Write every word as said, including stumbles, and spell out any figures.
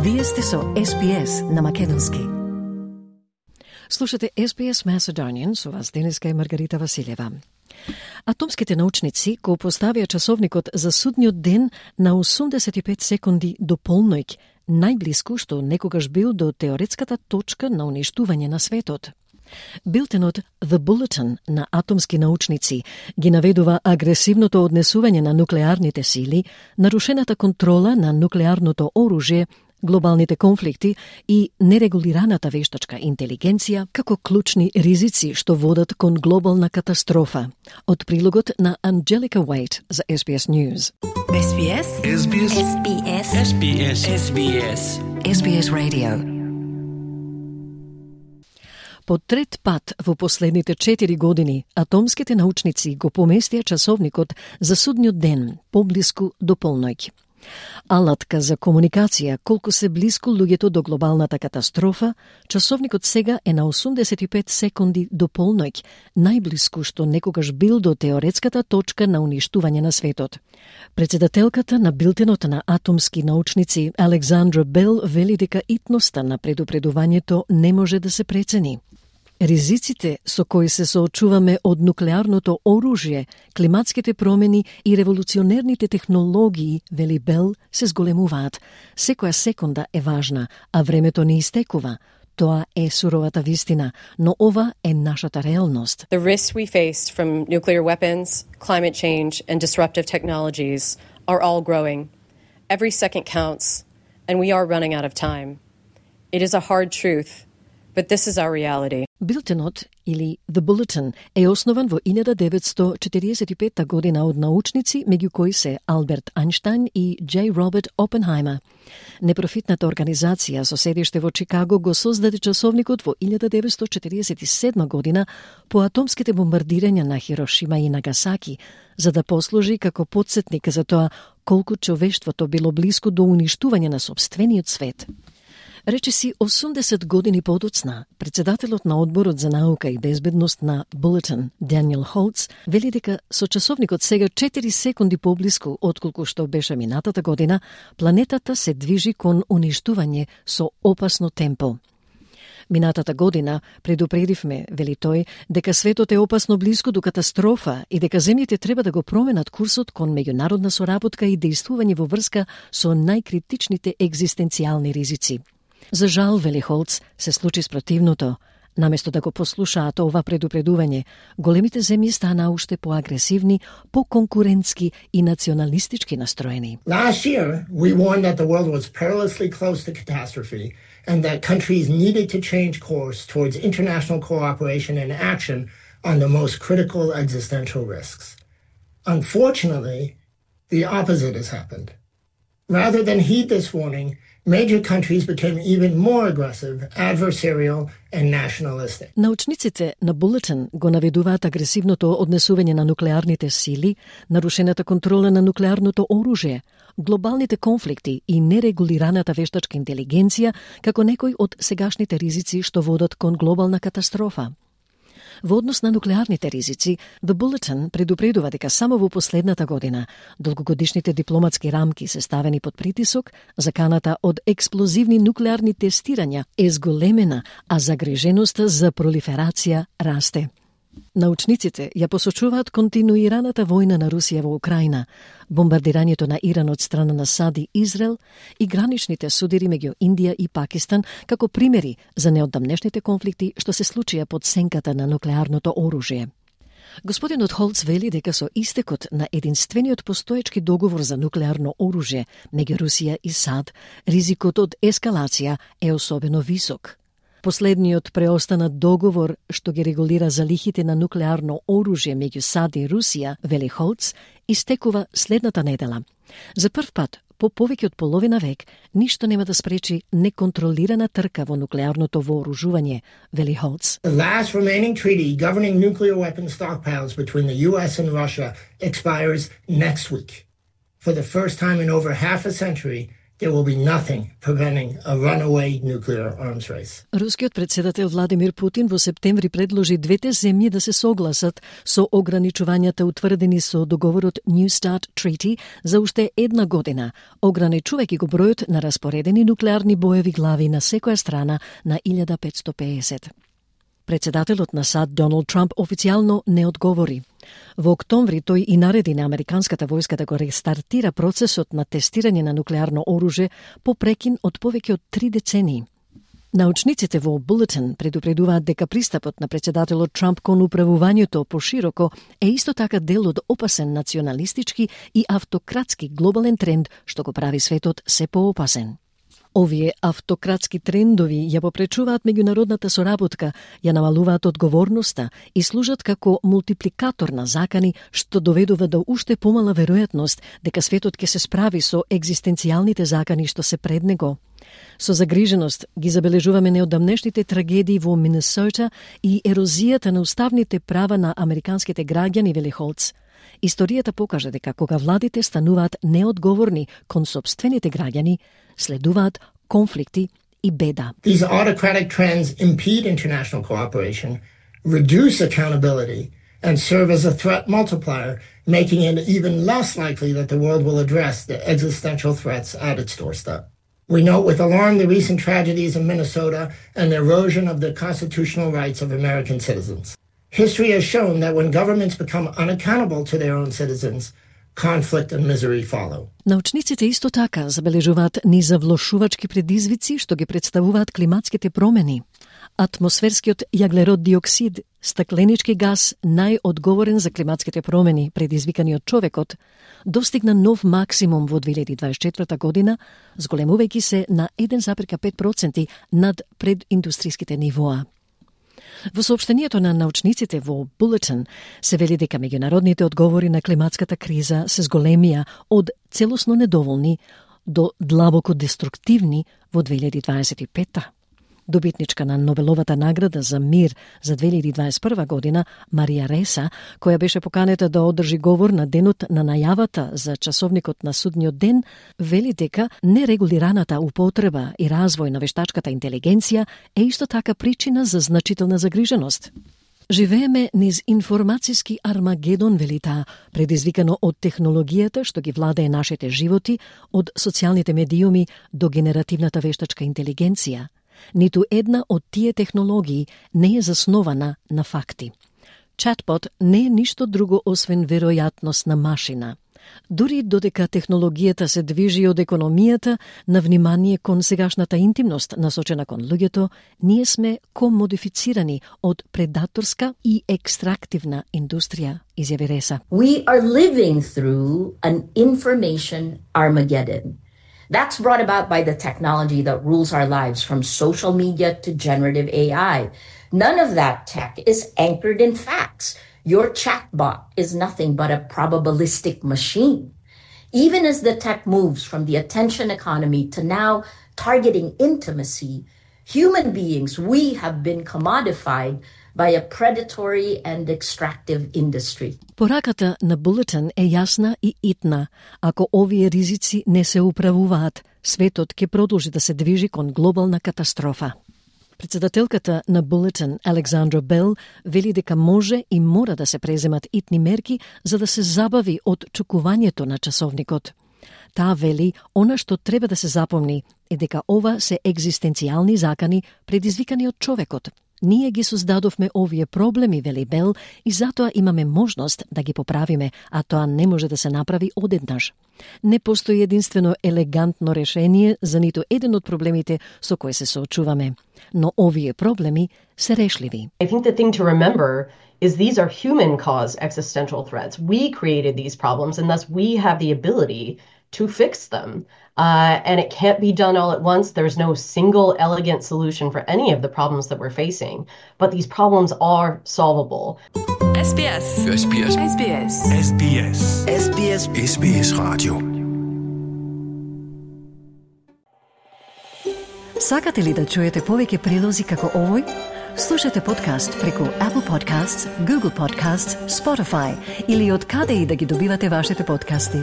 Вие сте со Ес Би Ес на македонски. Слушате Ес Би Ес Macedonian, со вас денеска е Маргарита Василева. Атомските научници го поставија часовникот за судниот ден на осумдесет и пет секунди до полноќ, најблиску што некогаш бил до теоретската точка на уништување на светот. Билтенот The Bulletin на атомски научници ги наведува агресивното однесување на нуклеарните сили, нарушената контрола на нуклеарното оружје, глобалните конфликти и нерегулираната вештачка интелигенција како клучни ризици што водат кон глобална катастрофа. Од прилогот на Анджелика Уейт за Ес Би Ес News. Ес Би Ес. Ес Би Ес. Ес Би Ес. Ес Би Ес. Ес Би Ес. Ес Би Ес Radio. По трет пат во последните четири години, атомските научници го поместија часовникот за судниот ден, поблиску до полноќ. Алатка за комуникација колку се блиску луѓето до глобалната катастрофа, часовникот сега е на осумдесет и пет секунди до полноќ, најблиску што некогаш бил до теоретската точка на уништување на светот. Председателката на Билтенот на атомски научници Александра Бел вели дека итноста на предупредувањето не може да се прецени. Ризиците со кои се соочуваме од нуклеарното оружје, климатските промени и револуционерните технологии, вели Бел, се зголемуваат. Секоја секунда е важна, а времето не истекува. Тоа е суровата вистина, но ова е нашата реалност. The risks we face from nuclear weapons, climate change and disruptive technologies are all growing. Every second counts, and we are running out of time. It is a hard truth, but this is our reality. Билтенот, или The Bulletin, е основан во илјада деветстотини четириесет и петта година од научници, меѓу кои се Алберт Ајнштајн и Џ. Роберт Опенхајмер. Непрофитната организација со седиште во Чикаго го создаде часовникот во илјада деветстотини четириесет и седма година по атомските бомбардирања на Хирошима и Нагасаки, за да послужи како потсетник за тоа колку човештвото било блиску до уништување на сопствениот свет. Речиси осумдесет години подоцна, председателот на Одборот за наука и безбедност на Bulletin, Даниел Холц, вели дека со часовникот сега четири секунди поблиску отколку што беше минатата година, планетата се движи кон уништување со опасно темпо. Минатата година предупредивме, вели тој, дека светот е опасно блиску до катастрофа и дека земјите треба да го променат курсот кон меѓународна соработка и дејствување во врска со најкритичните екзистенцијални ризици. За жал, вели Холц, се случи спротивното. Наместо да го послушаат ова предупредување, големите земји стана уште поагресивни, поконкурентски и националистички настроени. Last year, we warned that the world was perilously close to catastrophe and that countries needed to change course towards international cooperation and action on the most critical existential risks. Unfortunately, the opposite has happened. Rather than heed this warning, major countries became even more aggressive, adversarial and nationalistic. Научниците на Bulletin го наведуваат агресивното однесување на нуклеарните сили, нарушената контрола на нуклеарното оружје, глобалните конфликти и нерегулираната вештачка интелигенција како некои од сегашните ризици што водат кон глобална катастрофа. Во однос на нуклеарните ризици, The Bulletin предупредува дека само во последната година долгогодишните дипломатски рамки се ставени под притисок, заканата од експлозивни нуклеарни тестирања е зголемена, а загриженоста за пролиферација расте. Научниците ја посочуваат континуираната војна на Русија во Украина, бомбардирањето на Иран од страна на САД и Израел и граничните судири меѓу Индија и Пакистан како примери за неодамнешните конфликти што се случија под сенката на нуклеарното оружје. Господинот Холц вели дека со истекот на единствениот постоечки договор за нуклеарно оружје меѓу Русија и САД, ризикот од ескалација е особено висок. Последниот преостанат договор што ги регулира залихите на нуклеарно оружје меѓу САД и Русија, вели Холц, истекува следната недела. За прв пат, по повеќе од половина век, ништо нема да спречи неконтролирана трка во нуклеарното вооружување, вели Холц. The last remaining treaty governing nuclear weapon stockpiles between the U S and Russia expires next week. For the first time in over half a century, there will be nothing preventing a runaway nuclear arms race. Рускиот председател Владимир Путин во септември предложи двете земји да се согласат со ограничувањата утврдени со договорот New START Treaty за уште една година, ограничувајќи го бројот на распоредени нуклеарни боеви глави на секоја страна на илјада петстотини и педесет. Председателот на САД Доналд Трамп официјално не одговори. Во октомври тој и нареди на американската војска да го рестартира процесот на тестирање на нуклеарно оружје по прекин од повеќе од три децении. Научниците во Bulletin предупредуваат дека пристапот на председателот Трамп кон управувањето пошироко е исто така дел од опасен националистички и автократски глобален тренд што го прави светот се поопасен. Овие автократски трендови ја попречуваат меѓународната соработка, ја намалуваат одговорноста и служат како мултипликатор на закани што доведува до уште помала веројатност дека светот ќе се справи со екзистенцијалните закани што се пред него. Со загриженост ги забележуваме неодамнешните трагедии во Минесота и ерозијата на уставните права на американските граѓани, вели Холц. Историјата покажа дека кога владите стануваат неодговорни кон сопствените граѓани, следуваат конфликти и беда. These autocratic trends impede international cooperation, reduce accountability, and serve as a threat multiplier, making it even less likely that the world will address the existential threats at its doorstep. We note with alarm the recent tragedies in Minnesota and the erosion of the constitutional rights of American citizens. History has shown that when governments become unaccountable to their own citizens, conflict and misery follow. Научниците исто така забележуваат низавлошувачки предизвици што ги представуваат климатските промени. Атмосферскиот јаглерод диоксид, стакленички газ најодговорен за климатските промени предизвикани од човекот, достигна нов максимум во две илјади и дваесет и четврта година, зголемувајќи се на еден зарез пет проценти над прединдустријските нивоа. Во соопштението на научниците во Bulletin се вели дека меѓународните одговори на климатската криза се зголемија од целосно недоволни до длабоко деструктивни во две илјади дваесет и петта. Добитничка на Нобеловата награда за мир за две илјади дваесет и прва година, Марија Реса, која беше поканета да одржи говор на денот на најавата за часовникот на судниот ден, вели дека нерегулираната употреба и развој на вештачката интелигенција е исто така причина за значителна загриженост. Живееме низ информацијски армагедон, вели таа, предизвикано од технологијата што ги владее нашите животи, од социјалните медиуми до генеративната вештачка интелигенција. Ниту една од тие технологии не е заснована на факти. Чатбот не е ништо друго освен веројатност на машина. Дури додека технологијата се движи од економијата на внимание кон сегашната интимност насочена кон луѓето, ние сме комодифицирани од предаторска и екстрактивна индустрија, изјави Реса. We are living through an information Armageddon. That's brought about by the technology that rules our lives, from social media to generative A I. None of that tech is anchored in facts. Your chatbot is nothing but a probabilistic machine. Even as the tech moves from the attention economy to now targeting intimacy, human beings, we have been commodified by a predatory and extractive industry. Пораката на Bulletin е јасна и итна. Ако овие ризици не се управуваат, светот ќе продолжи да се движи кон глобална катастрофа. Председателката на Bulletin, Александра Бел, вели дека може и мора да се преземат итни мерки за да се забави од чукувањето на часовникот. Таа вели, она што треба да се запомни е дека ова се екзистенцијални закани предизвикани од човекот. Ние ги создадовме овие проблеми, вели Бел, и затоа имаме можност да ги поправиме, а тоа не може да се направи одеднаш. Не постои единствено елегантно решение за ниту еден од проблемите со кои се соочуваме, но овие проблеми се решливи. I think the thing to remember is these are human-caused existential threats. We created these problems, and thus we have the ability to fix them. Uh, and it can't be done all at once. There's no single elegant solution for any of the problems that we're facing. But these problems are solvable. S B S. S B S. S B S. S B S. S B S. S B S Radio. Сакате ли да чуете повеќе прилози како овој? Слушате подкаст преку Apple Podcasts, Google Podcasts, Spotify или од каде и да ги добивате вашите подкасти.